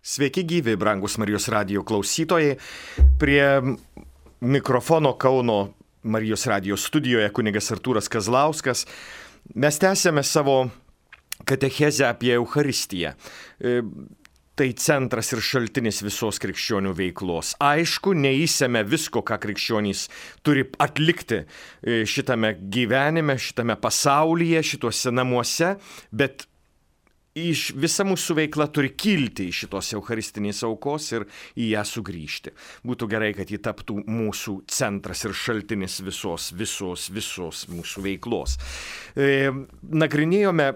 Sveiki gyvi, brangus Marijos radijo klausytojai. Prie mikrofono Kauno Marijos radijo studijoje kunigas Artūras Kazlauskas. Mes tęsiame savo katechezę apie Eucharistiją. Tai centras ir šaltinis visos krikščionių veiklos. Aišku, neįsėme visko, ką krikščionys turi atlikti šitame gyvenime, šitame pasaulyje, šituose namuose, bet visa mūsų veikla turi kilti iš šitos eucharistinės aukos ir į ją sugrįžti. Būtų gerai, kad ji taptų mūsų centras ir šaltinis visos mūsų veiklos. Nagrinėjome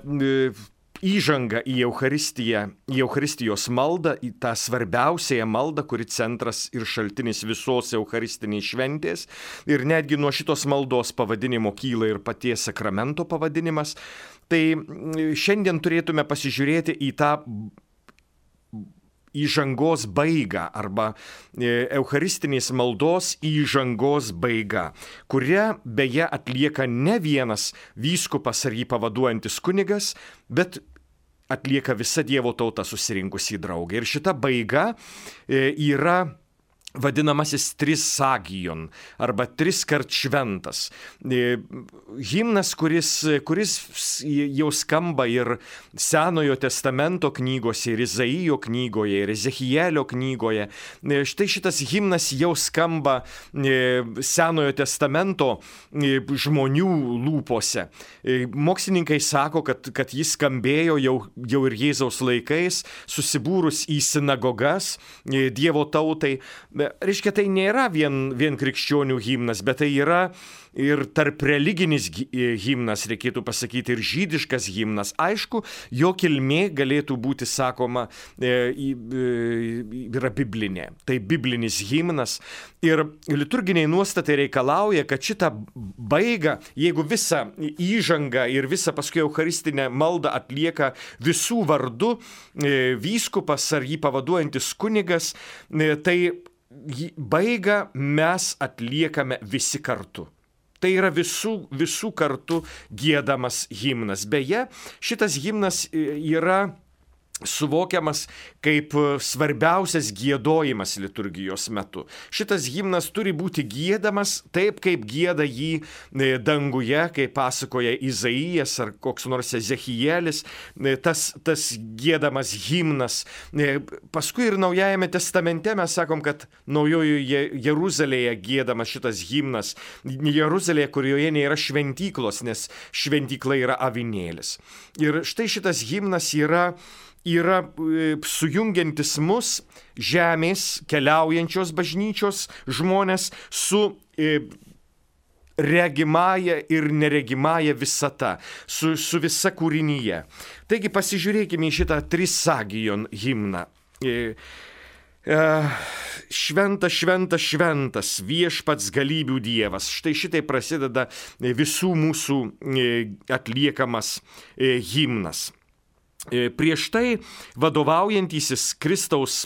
įžangą į Eucharistiją, į Eucharistijos maldą, į tą svarbiausiąją maldą, kuri centras ir šaltinis visos eucharistinės šventės. Ir netgi nuo šitos maldos pavadinimo kyla ir paties sakramento pavadinimas. Tai šiandien turėtume pasižiūrėti į tą įžangos baigą arba eucharistinės maldos įžangos baigą, kurią beje atlieka ne vienas vyskupas ar jį pavaduojantis kunigas, bet atlieka visa Dievo tauta susirinkusi į draugą. Ir šita baiga yra vadinamasis trisagion arba triskart šventas. Himnas, kuris jau skamba ir Senojo testamento knygose, ir Izaijo knygoje, ir Ezechielio knygoje. Štai šitas himnas jau skamba Senojo testamento žmonių lūpose. Mokslininkai sako, kad jis skambėjo jau ir Jėzaus laikais, susibūrus į sinagogas Dievo tautai. Reiškia, tai nėra vien krikščionių himnas, bet tai yra ir tarp religinis himnas, reikėtų pasakyti, ir žydiškas himnas. Aišku, jo kilmė galėtų būti, sakoma, yra biblinė. Tai biblinis himnas. Ir liturginiai nuostatai reikalauja, kad šitą baigą, jeigu visą įžangą ir visą paskui eucharistinę maldą atlieka visų vardu vyskupas ar jį pavaduojantis kunigas, tai baigą mes atliekame visi kartu. Tai yra visų kartu giedamas himnas. Beje, šitas himnas yra suvokiamas kaip svarbiausias giedojimas liturgijos metu. Šitas himnas turi būti giedamas taip, kaip gieda jį danguje, kaip pasakoja Izaijas ar koks nors Ezechielis, tas giedamas himnas. Paskui ir Naujajame testamente mes sakom, kad Naujojoje Jeruzalėje giedamas šitas himnas. Jeruzalėje, kurioje nėra šventyklos, nes šventykla yra avinėlis. Ir štai šitas himnas yra sujungiantis mus, žemės keliaujančios bažnyčios žmonės, su regimąja ir neregimąja visata, su visa kūrinyje. Taigi pasižiūrėkime į šitą trisagion himną. Šventas, šventas, šventas, viešpats galybių Dievas. Štai šitai prasideda visų mūsų atliekamas himnas. Prieš tai vadovaujantysis Kristaus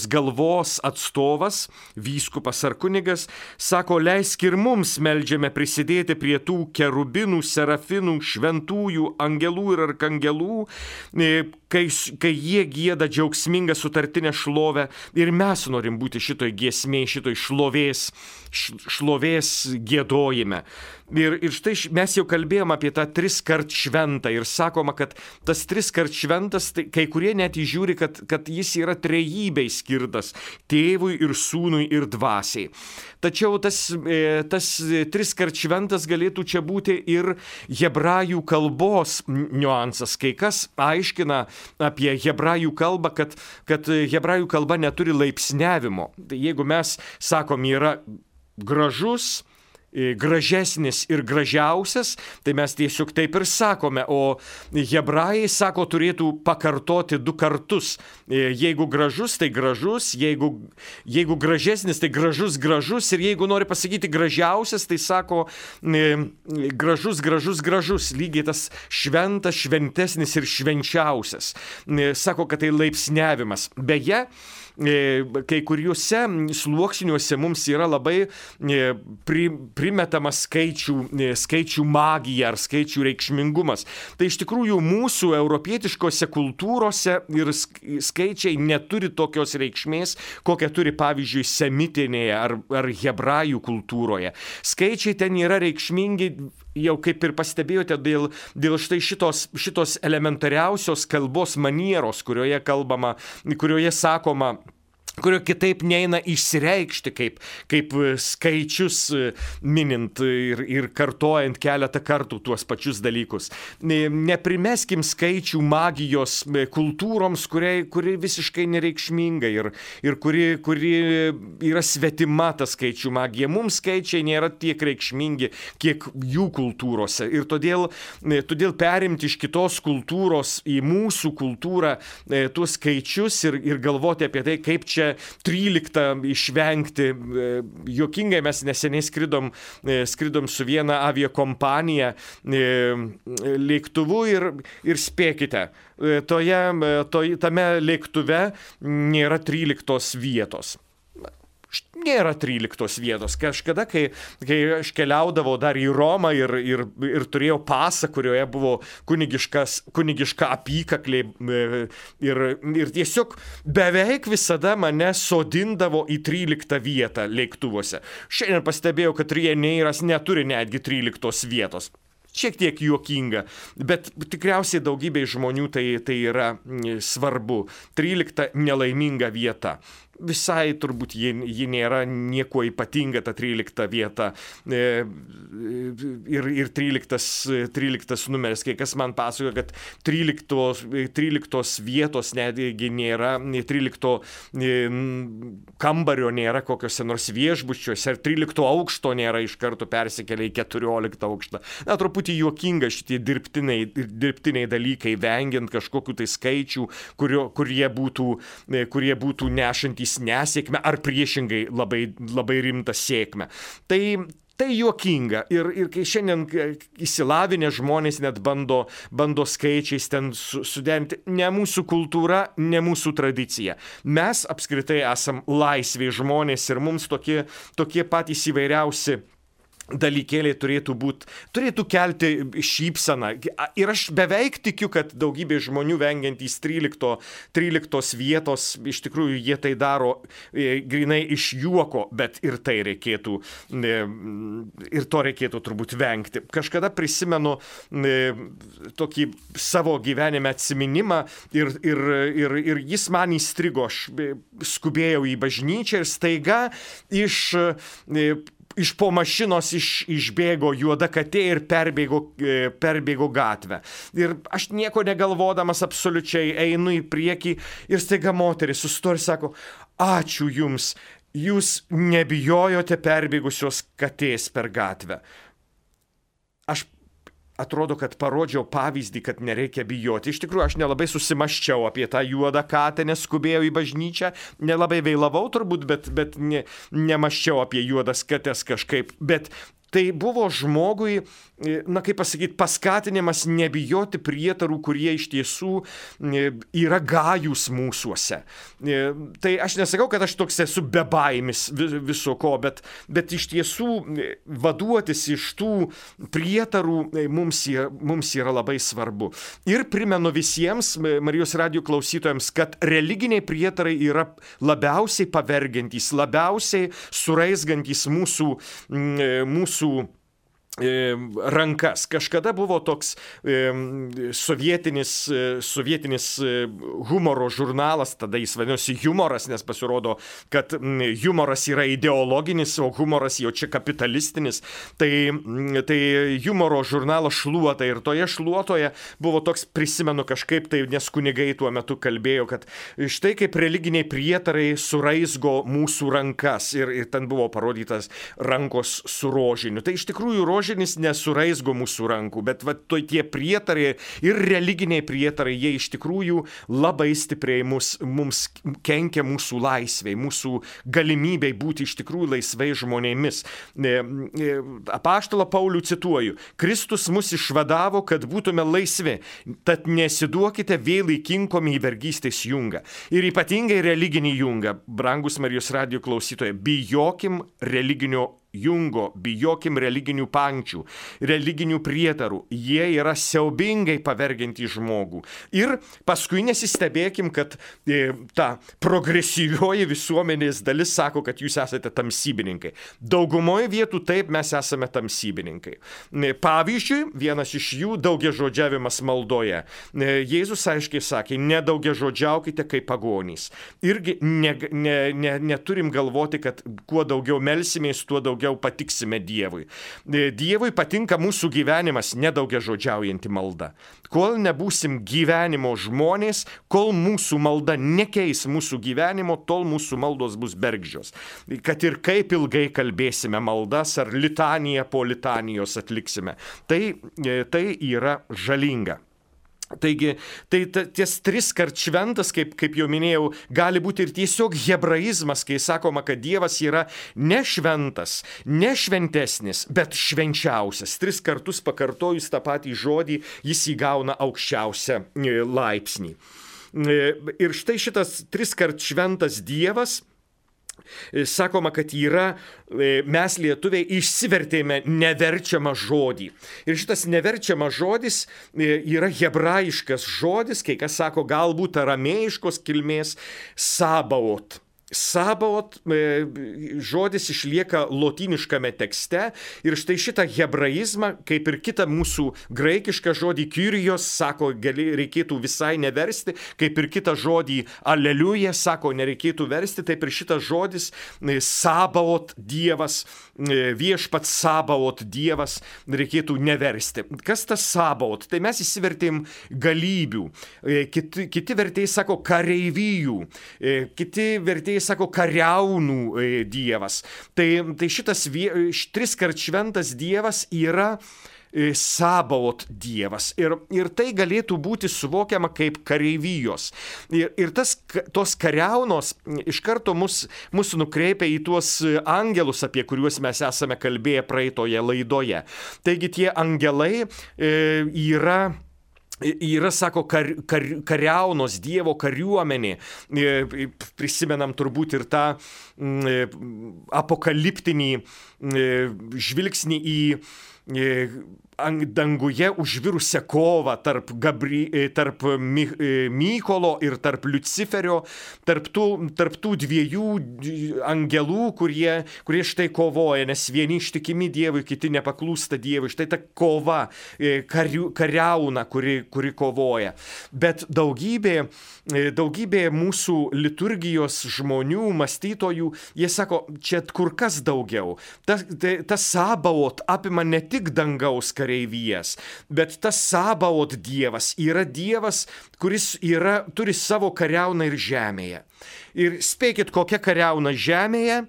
galvos atstovas, vyskupas ar kunigas, sako, leisk ir mums meldžiame prisidėti prie tų kerubinų, serafinų, šventųjų, angelų ir arkangelų, kai jie gieda džiaugsmingą sutartinę šlovę, ir mes norim būti šitoj giesmėj, šitoj šlovės giedojime. Ir štai mes jau kalbėjom apie tą triskart šventą ir sakoma, kad tas triskart šventas, tai kai kurie net įžiūri, kad jis yra trejybei skirtas, tėvui ir sūnui ir dvasiai. Tačiau tas triskart šventas galėtų čia būti ir hebrajų kalbos niuansas. Kai kas aiškina apie hebrajų kalbą, kad hebrajų kalba neturi laipsniavimo. Tai jeigu mes sakom, yra gražus, gražesnis ir gražiausias, tai mes tiesiog taip ir sakome, o hebrajai sako, turėtų pakartoti 2 kartus. Jeigu gražus, tai gražus, jeigu gražesnis, tai gražus, ir jeigu nori pasakyti gražiausias, tai sako gražus, lygiai tas šventas, šventesnis ir švenčiausias. Sako, kad tai laipsniavimas. Beje, kai kuriuose sluoksniuose mums yra labai primetama skaičių magija ar skaičių reikšmingumas. Tai iš tikrųjų mūsų europietiškose kultūrose ir skaičiai neturi tokios reikšmės, kokią turi pavyzdžiui semitinėje ar hebrajų kultūroje. Skaičiai ten yra reikšmingi, jau kaip ir pastebėjote, dėl štai šitos elementariausios kalbos manieros, kurioje sakoma, kurio kitaip neina išsireikšti kaip skaičius minint ir kartojant keletą kartų tuos pačius dalykus. Neprimeskim skaičių magijos kultūroms, kuri visiškai nereikšminga ir kuri yra svetima ta skaičių magija. Mums skaičiai nėra tiek reikšmingi, kiek jų kultūrose. Ir todėl perimti iš kitos kultūros į mūsų kultūrą tuos skaičius ir galvoti apie tai, kaip čia 13 išvengti. Juokingai mes neseniai skridom su viena aviakompanija lėktuvu ir spėkite, tame lėktuve nėra 13 vietos. Nėra 13 vietos. Kažkada, kai aš keliaudavau dar į Romą ir turėjau pasą, kurioje buvo kunigiška apykaklė ir tiesiog beveik visada mane sodindavo į 13 vietą lėktuvuose. Šiandien pastebėjau, kad Ryanairas neturi netgi 13 vietos. Šiek tiek juokinga, bet tikriausiai daugybei žmonių tai yra svarbu. 13 nelaiminga vieta. Visai turbūt ji nėra nieko ypatinga, ta 13 vieta ir 13 numeris. Kai kas man pasakoja, kad 13 vietos netgi nėra, 13 kambario nėra kokiuose nors viešbučiuose, ir 13 aukšto nėra, iš karto persikelia į 14 aukštą. Na, truputį juokinga šitie dirbtiniai dalykai, vengiant kažkokių tai skaičių, kurie būtų nešantys nesėkmę ar priešingai labai rimtą sėkmę. Tai juokinga ir kai šiandien išsilavinę žmonės net bando skaičiais ten suderinti, ne mūsų kultūra, ne mūsų tradicija. Mes apskritai esam laisvi žmonės ir mums tokie patys įvairiausi dalykėliai turėtų kelti šypseną. Ir aš beveik tikiu, kad daugybė žmonių vengiantys 13 vietos, iš tikrųjų jie tai daro grinai iš juoko, bet ir to reikėtų turbūt vengti. Kažkada prisimenu tokį savo gyvenime atsiminimą ir jis man įstrigo. Aš skubėjau į bažnyčią ir staiga iš po mašinos išbėgo juoda katė ir perbėgo gatvę. Ir aš nieko negalvodamas absoliučiai einu į priekį ir staiga moteris sustoja ir sako: ačiū jums, jūs nebijojote perbėgusios katės per gatvę. Aš atrodo, kad parodžiau pavyzdį, kad nereikia bijoti. Iš tikrųjų, aš nelabai susimaščiau apie tą juodą katę, nes skubėjau į bažnyčią, nelabai vėlavau turbūt, bet nemaščiau apie juodas kates kažkaip. Bet tai buvo žmogui, kaip pasakyti, paskatinimas nebijoti prietarų, kurie iš tiesų yra gajūs mūsuose. Tai aš nesakau, kad aš toks esu bebaimis viso ko, bet iš tiesų vaduotis iš tų prietarų mums yra labai svarbu. Ir primenu visiems Marijos radijo klausytojams, kad religiniai prietarai yra labiausiai pavergiantys, labiausiai suraizgantys mūsų rankas. Kažkada buvo toks sovietinis humoro žurnalas, tada jis vadinosi Humoras, nes pasirodo, kad humoras yra ideologinis, o humoras jau čia kapitalistinis. Tai humoro žurnalas Šluota, ir toje Šluotoje buvo toks, prisimenu kažkaip tai, nes kunigai tuo metu kalbėjo, kad štai kaip religiniai prietarai suraizgo mūsų rankas, ir ten buvo parodytas rankos su rožiniu. Tai iš tikrųjų rožinis nesuraizgo mūsų rankų, bet tie prietarai ir religiniai prietarai, jie iš tikrųjų labai stipriai mums kenkia mūsų laisvei, mūsų galimybei būti iš tikrųjų laisvai žmonėmis. Apaštalą Paulių cituoju: Kristus mus išvadavo, kad būtume laisvi, tad nesiduokite vėl įkinkomi į vergystės jungą. Ir ypatingai religinį jungą, brangus Marijos radijo klausytojai, bijokim religinio Jungo, bijokim religinių pankčių, religinių prietarų. Jie yra siaubingai pavergianti žmogų. Ir paskui nesistebėkim, kad ta progresyvioji visuomenės dalis sako, kad jūs esate tamsybininkai. Daugumoje vietų taip mes esame tamsybininkai. Pavyzdžiui, vienas iš jų daugiažodžiavimas maldoje. Jėzus aiškiai sakė, nedaugiažodžiaukite kaip pagonys. Irgi neturim galvoti, kad kuo daugiau melsimės, tuo daugiau patiksime Dievui. Dievui patinka mūsų gyvenimas, nedaugiažodžiaujanti malda. Kol nebūsim gyvenimo žmonės, kol mūsų malda nekeis mūsų gyvenimo, tol mūsų maldos bus bergždžios. Kad ir kaip ilgai kalbėsime maldas ar litaniją po litanijos atliksime, tai yra žalinga. Taigi, ties triskart šventas, kaip jau minėjau, gali būti ir tiesiog hebraizmas, kai sakoma, kad Dievas yra ne šventas, ne šventesnis, bet švenčiausias. 3 kartus pakartojus tą patį žodį, jis įgauna aukščiausią laipsnį. Ir štai šitas 3 kart šventas Dievas, sakoma, kad mes lietuviai išsivertėme neverčiamą žodį. Ir šitas neverčiamas žodis yra hebrajiškas žodis, kai kas sako galbūt aramėjiškos kilmės sabaot. Sabaot žodis išlieka lotyniškame tekste ir štai šitą hebraizmą, kaip ir kitą mūsų graikišką žodį kyrijos, sako, reikėtų visai neversti, kaip ir kitą žodį aleliuja, sako, nereikėtų versti, taip ir šitas žodis sabaot Dievas, viešpats sabaot Dievas, reikėtų neversti. Kas tas sabaot? Tai mes įsivertėm galybių, kiti vertėjai sako kareivijų, kiti vertėjai sako kariaunų Dievas. Tai šitas 3 kart šventas Dievas yra Sabaot Dievas. Ir tai galėtų būti suvokiama kaip kareivijos. Ir tos kariaunos iš karto mus nukreipia į tuos angelus, apie kuriuos mes esame kalbėję praeitoje laidoje. Taigi tie angelai yra, sako, kariaunos, Dievo kariuomenė. Prisimenam turbūt ir tą apokaliptinį žvilgsnį į danguje užvirusią kovą tarp Mykolo ir tarp Liuciferio, tarp tų dviejų angelų, kurie štai kovoja, nes vieni ištikimi Dievui, kiti nepaklūsta Dievui. Štai ta kova, kariauna, kuri kovoja. Bet daugybė mūsų liturgijos žmonių, mąstytojų, jie sako, čia kur kas daugiau. Tas Sabaot apima ne tik dangaus kareivijas, bet tas Sabaot Dievas yra Dievas, kuris turi savo kariauną ir žemėje. Ir spėkit, kokia kariauna žemėje?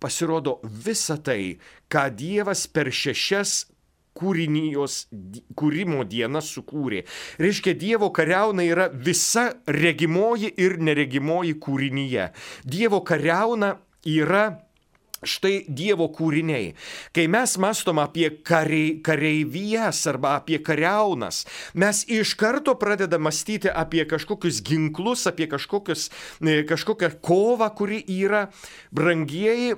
Pasirodo visa tai, ką Dievas per 6 kūrimo dienas sukūrė. Reiškia, Dievo kariauna yra visa regimoji ir neregimoji kūrinyje. Dievo kariauna yra štai Dievo kūriniai. Kai mes mąstom apie kareivijas arba apie kariaunas, mes iš karto pradedam mąstyti apie kažkokius ginklus, apie kažkokią kovą, kuri yra. Brangieji,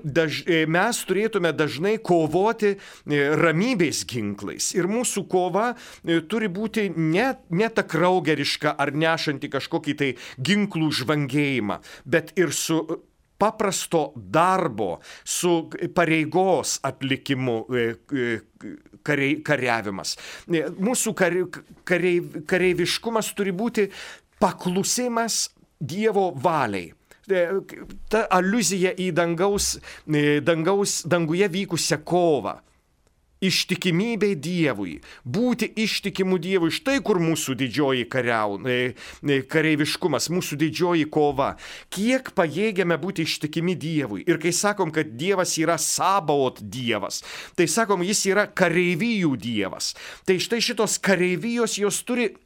mes turėtume dažnai kovoti ramybės ginklais. Ir mūsų kova turi būti ne ta kraugeriška ar nešanti kažkokį tai ginklų žvangėjimą, bet ir su paprasto darbo, su pareigos atlikimu kariavimas. Mūsų kareiviškumas turi būti paklusimas Dievo valiai. Ta aliuzija į danguje vykusią kovą. Ištikimybė Dievui, būti ištikimu Dievui, štai kur mūsų didžioji kareiviškumas, mūsų didžioji kova. Kiek pajėgiame būti ištikimi Dievui. Ir kai sakom, kad Dievas yra Sabaot Dievas, tai sakom, jis yra kareivijų Dievas. Tai štai šitos kareivijos, jos turi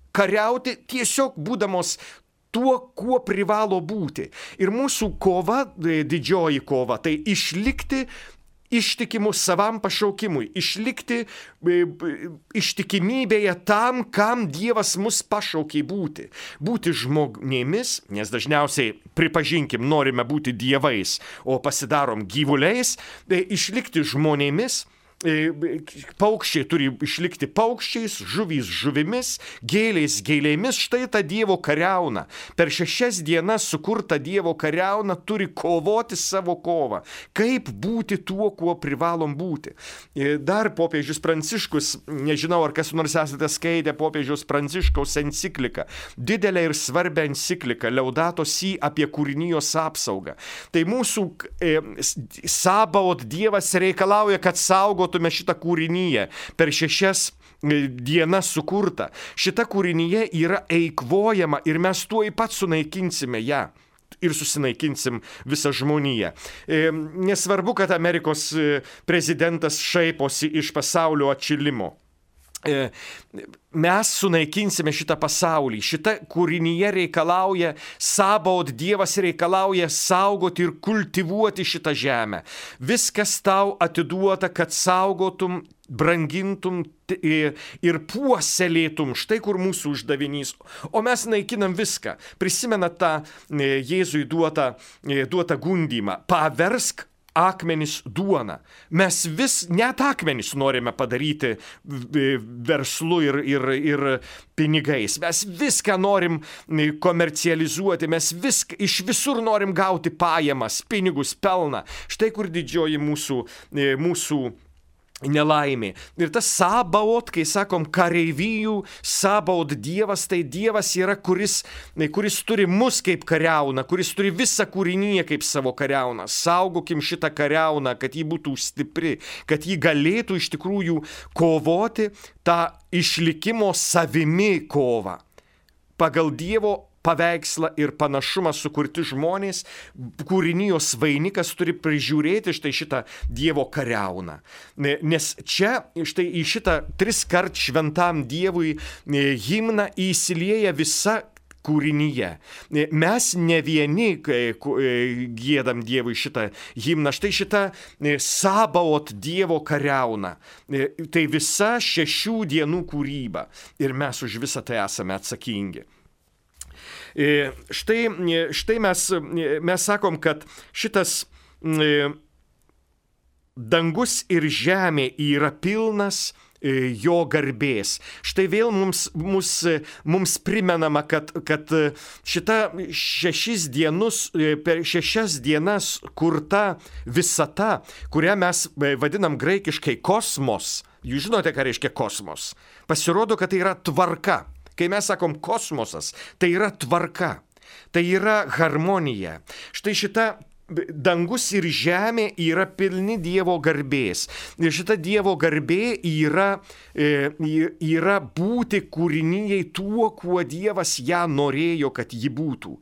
kariauti tiesiog būdamos tuo, kuo privalo būti. Ir mūsų kova, didžioji kova, tai išlikti ištikimu savam pašaukimui, išlikti ištikimybėje tam, kam Dievas mus pašaukė būti. Būti žmonėmis, nes dažniausiai, pripažinkim, norime būti dievais, o pasidarom gyvuliais, išlikti žmonėmis. Paukščiai turi išlikti paukščiais, žuvys žuvimis, gėlės gėlėmis. Štai ta Dievo kariauna. Per 6 dienas sukurta Dievo kariauna turi kovoti savo kovą. Kaip būti tuo, kuo privalom būti. Dar popiežius Pranciškus, nežinau, ar kas nors esate skaitę popiežiaus Pranciškaus encikliką, didelę ir svarbią encikliką Laudato Si apie kūrinijos apsaugą. Tai mūsų Sabaot Dievas reikalauja, kad saugotume šitą kūrinyje per 6 dienas sukurta. Šita kūrinyje yra eikvojama ir mes tuoj pat sunaikinsime ją. Ir susinaikinsim visą žmoniją. Nesvarbu, kad Amerikos prezidentas šaiposi iš pasaulio atšilimo. Mes sunaikinsime šitą pasaulį. Šita kūrinyje reikalauja, Sabaot Dievas reikalauja saugoti ir kultivuoti šitą žemę. Viskas tau atiduota, kad saugotum, brangintum ir puoselėtum. Štai kur mūsų uždavinys. O mes naikinam viską. Prisimenat tą Jėzui duotą gundymą. Paversk akmenis duona. Mes net akmenis norime padaryti verslu ir pinigais. Mes viską norim komercializuoti, mes iš visur norim gauti pajamas, pinigus, pelną. Štai kur didžioji mūsų nelaimė. Ir tas Sabaot, kai sakom kareivijų, Sabaot Dievas, tai Dievas yra, kuris turi mus kaip kariauną, kuris turi visą kūrinyje kaip savo kariauną. Saugokim šitą kariauną, kad ji būtų stipri, kad ji galėtų iš tikrųjų kovoti tą išlikimo savimi kovą. Pagal Dievo paveikslą ir panašumą sukurti žmonės, kūrinijos vainikas turi prižiūrėti šitą Dievo kariauną. Nes čia štai į šitą 3-kart šventam Dievui himną įsilieja visa kūrinyje. Mes ne vieni giedam Dievui šitą himną. Štai šitą Sabaot Dievo kariauna. Tai visa 6 dienų kūryba. Ir mes už visą tai esame atsakingi. Štai mes sakom, kad šitas dangus ir žemė yra pilnas jo garbės. Štai vėl mums primenama, kad šita 6 per 6 dienas kurta visata, kurią mes vadinam graikiškai kosmos. Jūs žinote, ką reiškia kosmos? Pasirodo, kad tai yra tvarka. Kai mes sakom kosmosas, tai yra tvarka, tai yra harmonija. Štai šita dangus ir žemė yra pilni Dievo garbės. Ir šita Dievo garbė yra būti kūrinyjei tuo, kuo Dievas ją norėjo, kad ji būtų.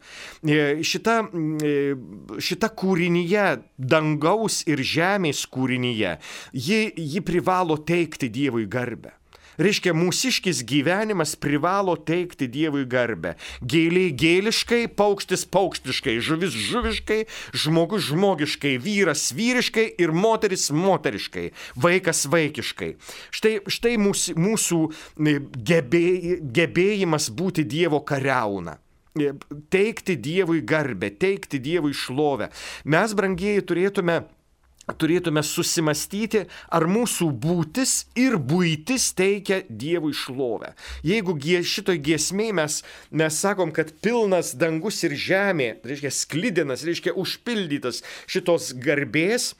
Šita kūrinyje, dangaus ir žemės kūrinyje, ji privalo teikti Dievui garbę. Reiškia, mūsiškis gyvenimas privalo teikti Dievui garbę. Gėlė gėliškai, paukštis paukštiškai, žuvis žuviškai, žmogus žmogiškai, vyras vyriškai ir moteris moteriškai, vaikas vaikiškai. Štai mūsų gebėjimas būti Dievo kariauna. Teikti Dievui garbę, teikti Dievui šlovę. Mes, brangieji, turėtume susimastyti, ar mūsų būtis ir buitis teikia Dievui šlovę. Jeigu šitoj giesmėj mes sakom, kad pilnas dangus ir žemė, reiškia sklidinas, reiškia užpildytas šitos garbės,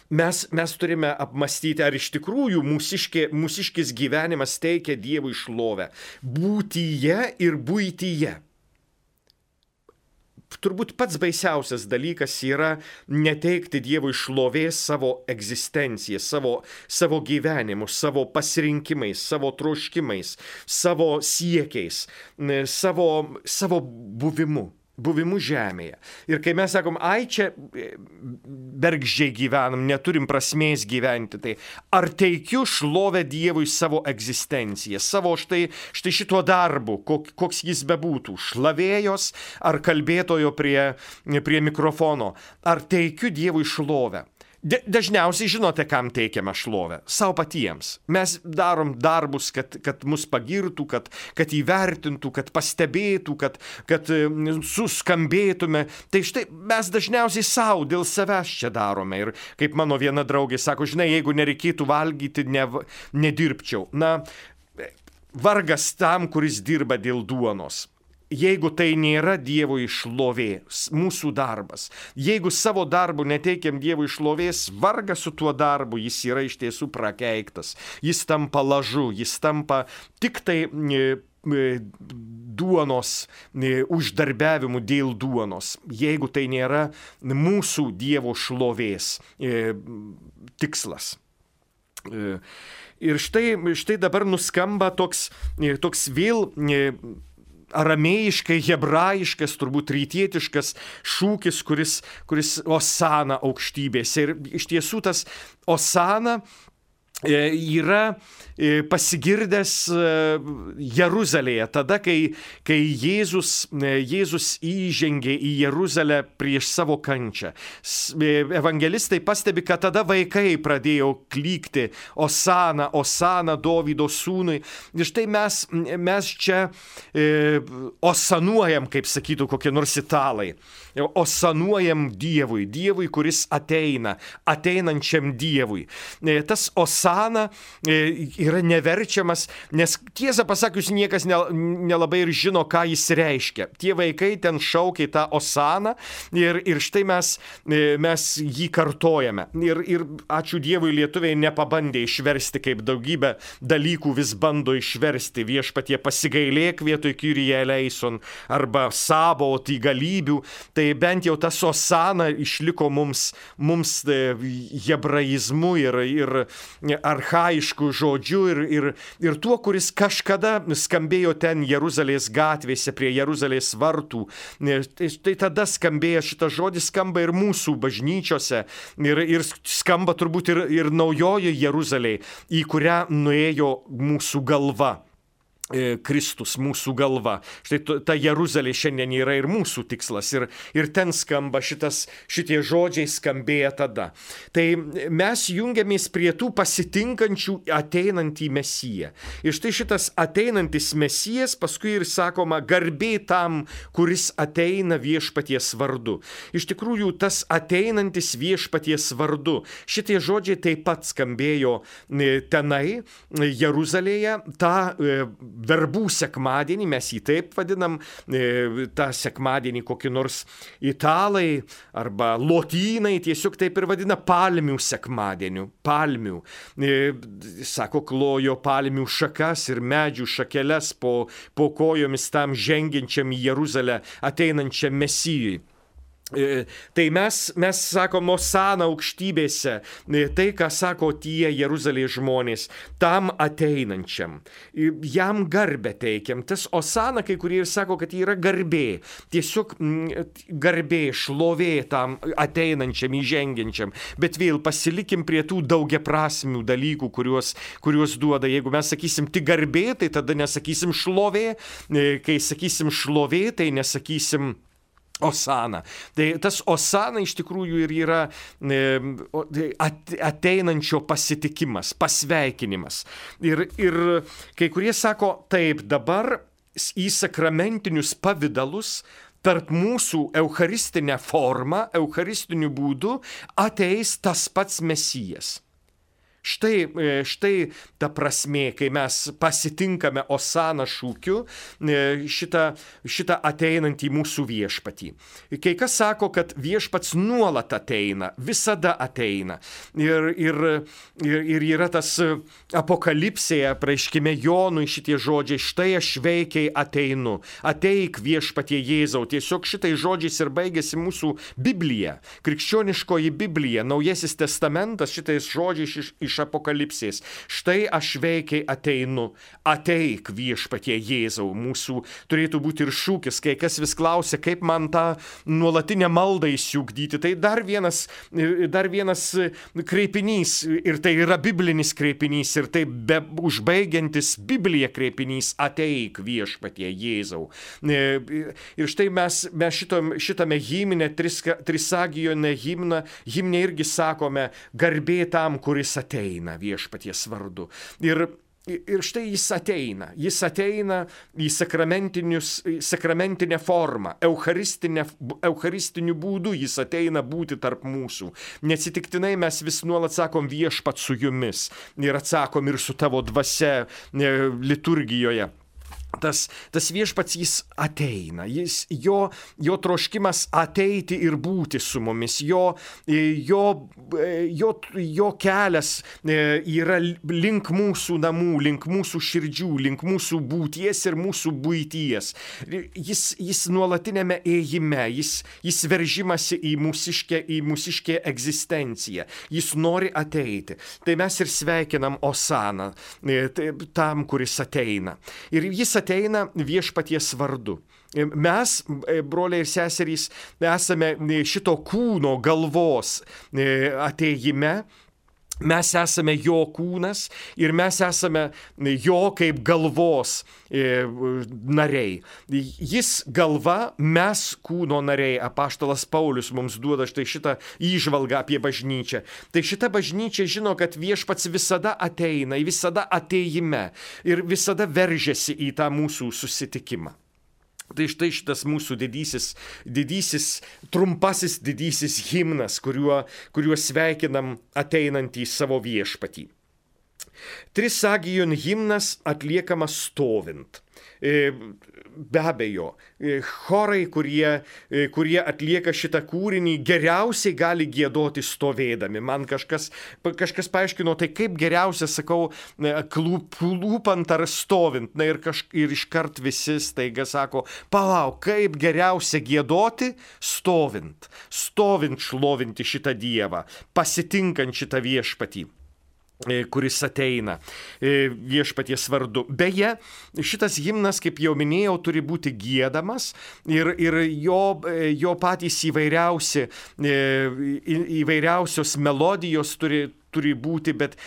mes turime apmastyti, ar iš tikrųjų mūsiškis gyvenimas teikia Dievui šlovę. Būtyje ir buityje. Turbūt pats baisiausias dalykas yra neteikti Dievui šlovės savo egzistenciją, savo gyvenimu, savo pasirinkimais, savo troškimais, savo siekiais, savo buvimu žemėje. Ir kai mes sakom, čia bergždžiai gyvenam, neturim prasmės gyventi, tai ar teikiu šlovę Dievui savo egzistenciją, savo štai šituo darbu, koks jis bebūtų, šlavėjos ar kalbėtojo prie mikrofono, ar teikiu Dievui šlovę? Dažniausiai žinote, kam teikiame šlovę? Sau patiems. Mes darom darbus, kad mus pagirtų, kad įvertintų, kad pastebėtų, kad suskambėtume. Tai štai mes dažniausiai sau dėl savęs čia darome. Ir kaip mano viena draugė sako, žinai, jeigu nereikėtų valgyti, nedirbčiau. Na, vargas tam, kuris dirba dėl duonos. Jeigu tai nėra Dievui šlovė, mūsų darbas, jeigu savo darbu neteikiam Dievui šlovės, vargas su tuo darbu, jis yra iš tiesų prakeiktas, jis tampa lažu, jis tampa tik tai duonos uždarbiavimu dėl duonos, jeigu tai nėra mūsų Dievo šlovės tikslas. Ir štai dabar nuskamba toks vėl aramėjiškai, hebrajiškas, turbūt rytietiškas šūkis, kuris Osana aukštybėse. Ir iš tiesų tas Osana yra pasigirdęs Jeruzalėje, tada, kai Jėzus įžengė į Jeruzalę prieš savo kančią. Evangelistai pastebi, kad tada vaikai pradėjo klykti Osana, Osana Dovydo sūnui. Ir štai mes čia osanuojam, kaip sakytų kokie nors italai. Osanuojam Dievui, kuris ateinančiam Dievui. Tas Osana yra neverčiamas, nes tiesą pasakius, niekas nelabai ir žino, ką jis reiškia. Tie vaikai ten šaukia tą Osaną ir štai mes jį kartojame. Ir ačiū Dievui, lietuviai nepabandė išversti, kaip daugybę dalykų vis bando išversti. Viešpatie pasigailėk vietoj Kyrie eleison arba Sabaot į galybių. Tai bent jau tas Osana išliko mums hebraizmu ir archaiškų žodžių ir tuo, kuris kažkada skambėjo ten Jeruzalės gatvėse prie Jeruzalės vartų. Tai tada skambėjo, šitas žodis skamba ir mūsų bažnyčiose ir skamba turbūt ir naujoji Jeruzalė, į kurią nuėjo mūsų galva. Kristus, mūsų galva. Štai ta Jeruzalė šiandien yra ir mūsų tikslas. Ir ten skamba šitie žodžiai skambėja tada. Tai mes jungiamės prie tų pasitinkančių ateinantį Mesiją. Ir štai šitas ateinantis Mesijas, paskui ir sakoma, garbė tam, kuris ateina viešpaties vardu. Iš tikrųjų, tas ateinantis viešpaties vardu. Šitie žodžiai taip pat skambėjo tenai, Jeruzalėje, tą verbų sekmadienį, mes jį taip vadinam, tą sekmadienį kokį nors italai arba lotynai tiesiog taip ir vadina palmių sekmadieniu. Palmių. Sako, klojo palmių šakas ir medžių šakeles po kojomis tam žengiančiam į Jeruzalę ateinančiam Mesijui. Tai mes sakom Osana aukštybėse, tai, ką sako tie Jeruzalės žmonės, tam ateinančiam. Jam garbę teikiam. Tas Osana, kai kurie ir sako, kad yra garbė. Tiesiog garbė, šlovė tam ateinančiam, įžengiančiam. Bet vėl pasilikim prie tų daugiaprasmių dalykų, kuriuos duoda. Jeigu mes sakysim tik garbė, tai tada nesakysim šlovė. Kai sakysim šlovė, tai nesakysim Osana. Tai tas Osana iš tikrųjų ir yra ateinančio pasitikimas, pasveikinimas. Ir kai kurie sako, taip, dabar į sakramentinius pavidalus tarp mūsų eucharistinę formą, eucharistiniu būdu ateis tas pats Mesijas. Štai ta prasmė, kai mes pasitinkame Osana šūkiu šitą ateinantį mūsų viešpatį. Kai kas sako, kad viešpats nuolat ateina, visada ateina. Ir yra tas apokalipsėje, apreiškime Jonui šitie žodžiai, štai aš veikiai ateinu, ateik viešpatie Jėzau. Tiesiog šitai žodžiais ir baigėsi mūsų Biblija, krikščioniškoji Biblija, Naujasis testamentas šitais žodžiais iš Apokalipsės. Štai aš veikiai ateinu, ateik Viešpatie Jėzau. Mūsų turėtų būti ir šūkis, kai kas vis klausia, kaip man tą nuolatinę maldą įsiugdyti. Tai dar vienas kreipinys, ir tai yra biblinis kreipinys, ir tai užbaigiantis Bibliją kreipinys, ateik Viešpatie Jėzau. Ir štai mes šitame himne, Trisagijone himne irgi sakome, garbė tam, kuris ateina Viešpaties vardu. Ir štai jis ateina į sakramentinę formą, eucharistiniu būdu jis ateina būti tarp mūsų. Neatsitiktinai mes vis nuolat sakom viešpat su jumis ir atsakom ir su tavo dvasia liturgijoje. Tas viešpats jis ateina, jo troškimas ateiti ir būti su mumis, jo kelias yra link mūsų namų, link mūsų širdžių, link mūsų būties ir mūsų buities. Jis nuolatinėme ėjime, jis veržimasi į mūsiškę egzistenciją, jis nori ateiti. Tai mes ir sveikinam Osaną tam, kuris ateina. Ir jis ateina Viešpaties vardu. Mes, broliai ir seserys, esame šito kūno galvos ateime. Mes esame jo kūnas ir mes esame jo kaip galvos nariai. Jis galva, mes kūno nariai. Apaštalas Paulius mums duoda štai šitą įžvalgą apie bažnyčią. Tai šita bažnyčia žino, kad viešpats visada ateina, visada ateime ir visada veržiasi į tą mūsų susitikimą. Tai štai šitas mūsų didysis himnas, kuriuo sveikinam ateinantį savo viešpatį. Trisagijon himnas atliekamas stovint. Be abejo, chorai, kurie atlieka šitą kūrinį, geriausiai gali giedoti stovėdami. Man kažkas paaiškino, tai kaip geriausia, sakau, klūpant ar stovint. Na ir iškart visi staiga sako, palauk, kaip geriausia giedoti stovint šlovinti šitą Dievą, pasitinkant šitą viešpatį, kuris ateina viešpaties vardu. Beje, šitas himnas, kaip jau minėjau, turi būti giedamas ir jo patys įvairiausios melodijos turi būti, bet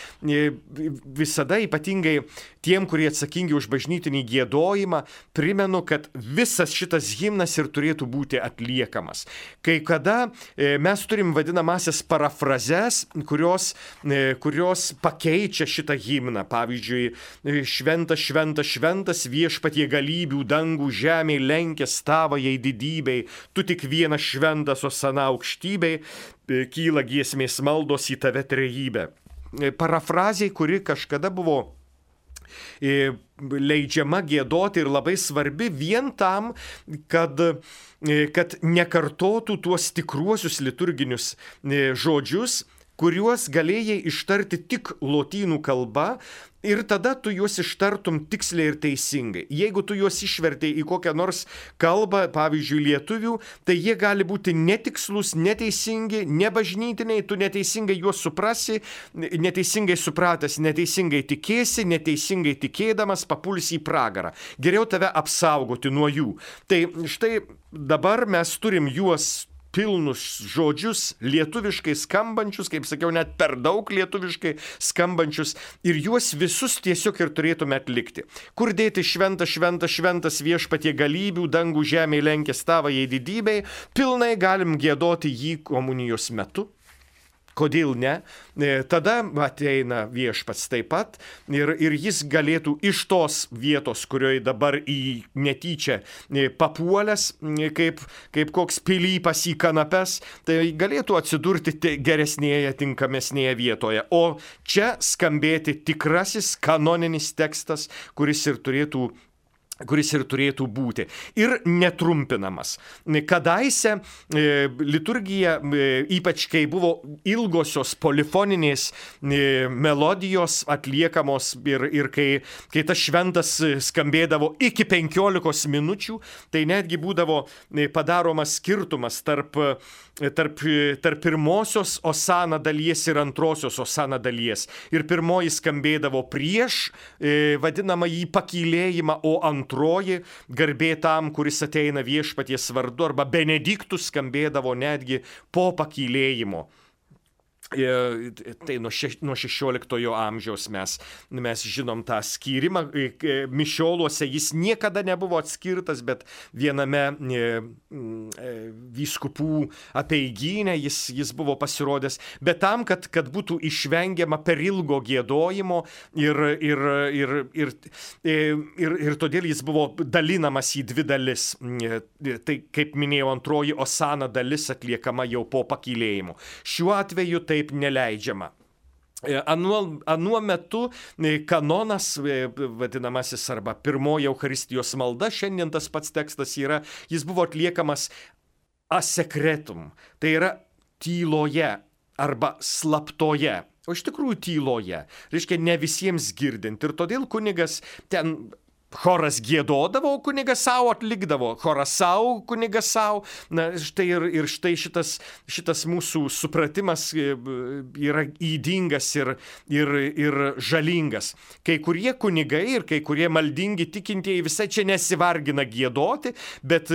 visada ypatingai tiem, kurie atsakingi už bažnytinį giedojimą, primenu, kad visas šitas himnas ir turėtų būti atliekamas. Kai kada mes turim vadinamasias parafrazes, kurios pakeičia šitą himną. Pavyzdžiui, šventas, šventas, šventas viešpatie galybių dangų žemėj lenkės tavajai didybei, tu tik vienas šventas, Osana aukštybei, kyla giesmės maldos į tave trejybę. Parafrazė, kuri kažkada buvo leidžiama giedoti ir labai svarbi vien tam, kad nekartotų tuos tikruosius liturginius žodžius, kuriuos galėjai ištarti tik lotynų kalba, ir tada tu juos ištartum tiksliai ir teisingai. Jeigu tu juos išvertei į kokią nors kalbą, pavyzdžiui, lietuvių, tai jie gali būti netikslus, neteisingi, nebažnytiniai, tu neteisingai juos suprasi, neteisingai supratęs, neteisingai tikėsi, neteisingai tikėdamas papulsi į pragarą. Geriau tave apsaugoti nuo jų. Tai štai dabar mes turim juos pilnus žodžius, lietuviškai skambančius, kaip sakiau, net per daug lietuviškai skambančius, ir juos visus tiesiog ir turėtume atlikti. Kur dėti šventas, šventas, šventas viešpatie galybių, dangų žemėj lenkės tavajai didybei, pilnai galim giedoti jį komunijos metu. Kodėl ne? Tada ateina viešpats taip pat ir jis galėtų iš tos vietos, kurioje dabar į netyčia papuolęs, kaip koks pilypas į kanapes, tai galėtų atsidurti geresnėje, tinkamesnėje vietoje. O čia skambėti tikrasis kanoninis tekstas, kuris ir turėtų kuris ir turėtų būti, ir netrumpinamas. Kadaise liturgija, ypač kai buvo ilgosios polifoninės melodijos atliekamos ir kai tas šventas skambėdavo iki 15 minučių, tai netgi būdavo padaromas skirtumas tarp pirmosios osana dalies ir antrosios osana dalies. Ir pirmoji skambėdavo prieš vadinamą jį pakylėjimą, o antroji garbė tam, kuris ateina viešpaties vardu, arba benediktus skambėdavo netgi po pakylėjimo. Tai nuo 16 amžiaus mes žinom tą skyrimą. Mišioluose jis niekada nebuvo atskirtas, bet viename vyskupų apeigyne jis buvo pasirodęs. Bet tam, kad būtų išvengiama per ilgo giedojimo ir todėl jis buvo dalinamas į dvi dalis. Tai, kaip minėjau, antroji osana dalis atliekama jau po pakylėjimo. Šiuo atveju taip neleidžiama. Anuo metu kanonas, vadinamasis, arba pirmoji Eucharistijos malda, šiandien tas pats tekstas yra, jis buvo atliekamas a secretum, tai yra tyloje arba slaptoje, o iš tikrųjų tyloje, reiškia ne visiems girdint, ir todėl kunigas ten choras giedodavo, kunigas savo atlikdavo, choras savo, kunigas savo. Na, štai ir štai šitas mūsų supratimas yra ydingas ir žalingas. Kai kurie kunigai ir kai kurie maldingi tikintieji visai čia nesivargina giedoti, bet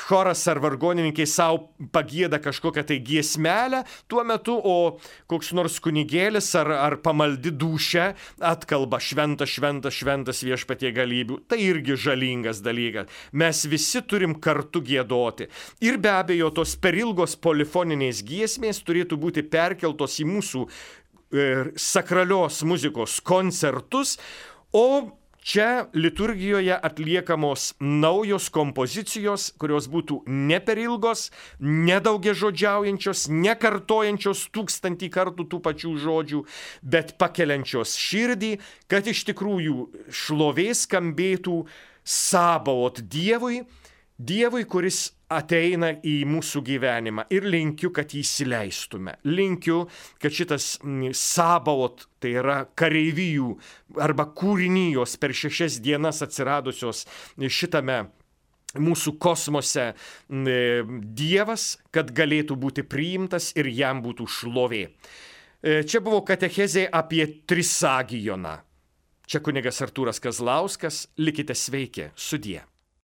choras ar vargonininkai savo pagieda kažkokią tai giesmelę tuo metu, o koks nors kunigėlis ar pamaldi dūšia atkalba šventas viešpatie galybių. Tai irgi žalingas dalykas. Mes visi turim kartu giedoti. Ir be abejo, tos per ilgos polifoninės giesmės turėtų būti perkeltos į mūsų sakralios muzikos koncertus, o čia liturgijoje atliekamos naujos kompozicijos, kurios būtų ne per ilgos, nedaugiažodžiaujančios, nekartojančios 1000 kartų tų pačių žodžių, bet pakeliančios širdį, kad iš tikrųjų šlovė skambėtų Sabaot Dievui, kuris ateina į mūsų gyvenimą, ir linkiu, kad jį įsileistume. Linkiu, kad šitas Sabaot, tai yra kareivijų arba kūrinijos per 6 dienas atsiradusios šitame mūsų kosmose Dievas, kad galėtų būti priimtas ir jam būtų šlovė. Čia buvo katechezė apie Trisagijoną. Čia kunigas Artūras Kazlauskas. Likite sveiki. Sudie.